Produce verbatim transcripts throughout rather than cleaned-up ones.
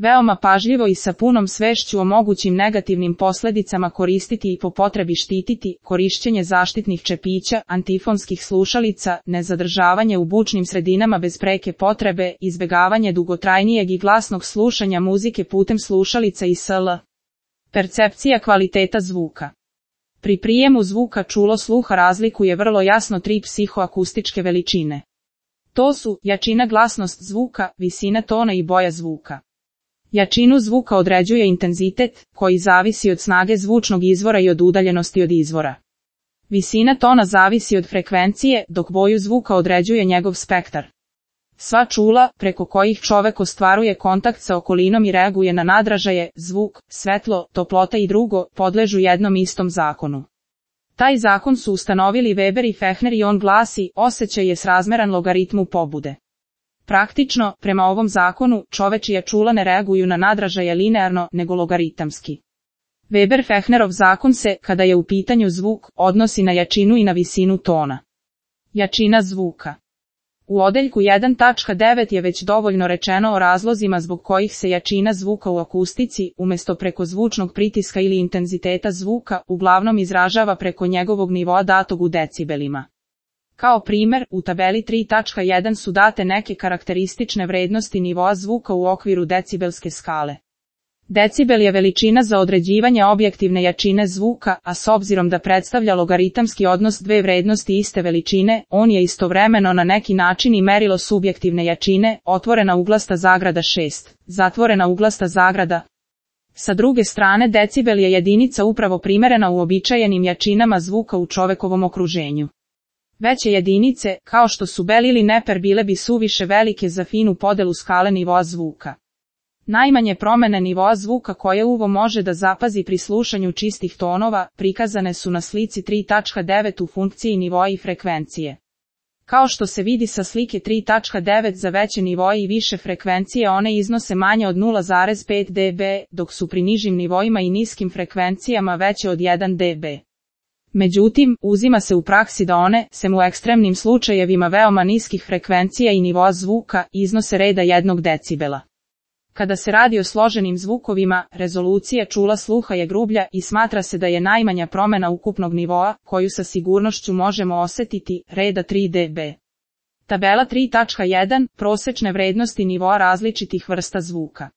Veoma pažljivo i sa punom svešću o mogućim negativnim posledicama koristiti i po potrebi štititi, korišćenje zaštitnih čepića, antifonskih slušalica, nezadržavanje u bučnim sredinama bez preke potrebe, izbegavanje dugotrajnijeg i glasnog slušanja muzike putem slušalica i sl. Percepcija kvaliteta zvuka. Pri prijemu zvuka čulo sluha razlikuje vrlo jasno tri psihoakustičke veličine. To su jačina, glasnost zvuka, visina tona i boja zvuka. Jačinu zvuka određuje intenzitet, koji zavisi od snage zvučnog izvora i od udaljenosti od izvora. Visina tona zavisi od frekvencije, dok boju zvuka određuje njegov spektar. Sva čula, preko kojih čovek ostvaruje kontakt sa okolinom i reaguje na nadražaje, zvuk, svetlo, toplota i drugo, podležu jednom istom zakonu. Taj zakon su ustanovili Weber i Fechner i on glasi: osjećaj je srazmeran logaritmu pobude. Praktično, prema ovom zakonu, čovečija čula ne reaguju na nadražaje linearno, nego logaritamski. Weber-Fechnerov zakon se, kada je u pitanju zvuk, odnosi na jačinu i na visinu tona. Jačina zvuka. U odeljku jedan tačka devet je već dovoljno rečeno o razlozima zbog kojih se jačina zvuka u akustici, umjesto preko zvučnog pritiska ili intenziteta zvuka, uglavnom izražava preko njegovog nivoa datog u decibelima. Kao primer, u tabeli tri tačka jedan su date neke karakteristične vrednosti nivoa zvuka u okviru decibelske skale. Decibel je veličina za određivanje objektivne jačine zvuka, a s obzirom da predstavlja logaritamski odnos dve vrednosti iste veličine, on je istovremeno na neki način i merilo subjektivne jačine, otvorena uglasta zagrada šest, zatvorena uglasta zagrada. Sa druge strane, decibel je jedinica upravo primerena uobičajenim jačinama zvuka u čovekovom okruženju. Veće jedinice, kao što su bel ili neper, bile bi suviše velike za finu podelu skale nivoa zvuka. Najmanje promene nivoa zvuka koje uvo može da zapazi pri slušanju čistih tonova, prikazane su na slici tri tačka devet u funkciji nivoa i frekvencije. Kao što se vidi sa slike tri tačka devet, za veće nivoe i više frekvencije one iznose manje od nula zarez pet decibela, dok su pri nižim nivoima i niskim frekvencijama veće od jedan decibel. Međutim, uzima se u praksi da one, sem u ekstremnim slučajevima veoma niskih frekvencija i nivoa zvuka, iznose reda jednog decibela. Kada se radi o složenim zvukovima, rezolucija čula sluha je grublja i smatra se da je najmanja promena ukupnog nivoa, koju sa sigurnošću možemo osetiti, reda tri decibela. Tabela tri tačka jedan, prosečne vrednosti nivoa različitih vrsta zvuka.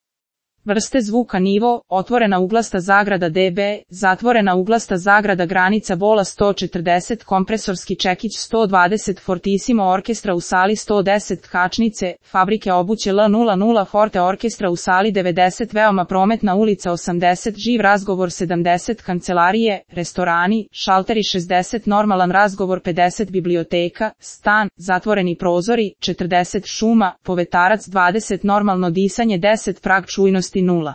Vrste zvuka: nivo, otvorena uglasta zagrada decibel, zatvorena uglasta zagrada granica bola sto četrdeset, kompresorski čekić sto dvadeset, fortissimo orkestra u sali sto deset, tkačnice, fabrike obuće L nula nula, forte orkestra u sali devedeset, veoma prometna ulica osamdeset, živ razgovor sedamdeset, kancelarije, restorani, šalteri šezdeset, normalan razgovor pedeset, biblioteka, stan, zatvoreni prozori četrdeset, šuma, povetarac dvadeset, normalno disanje deset, prag čujnosti nula.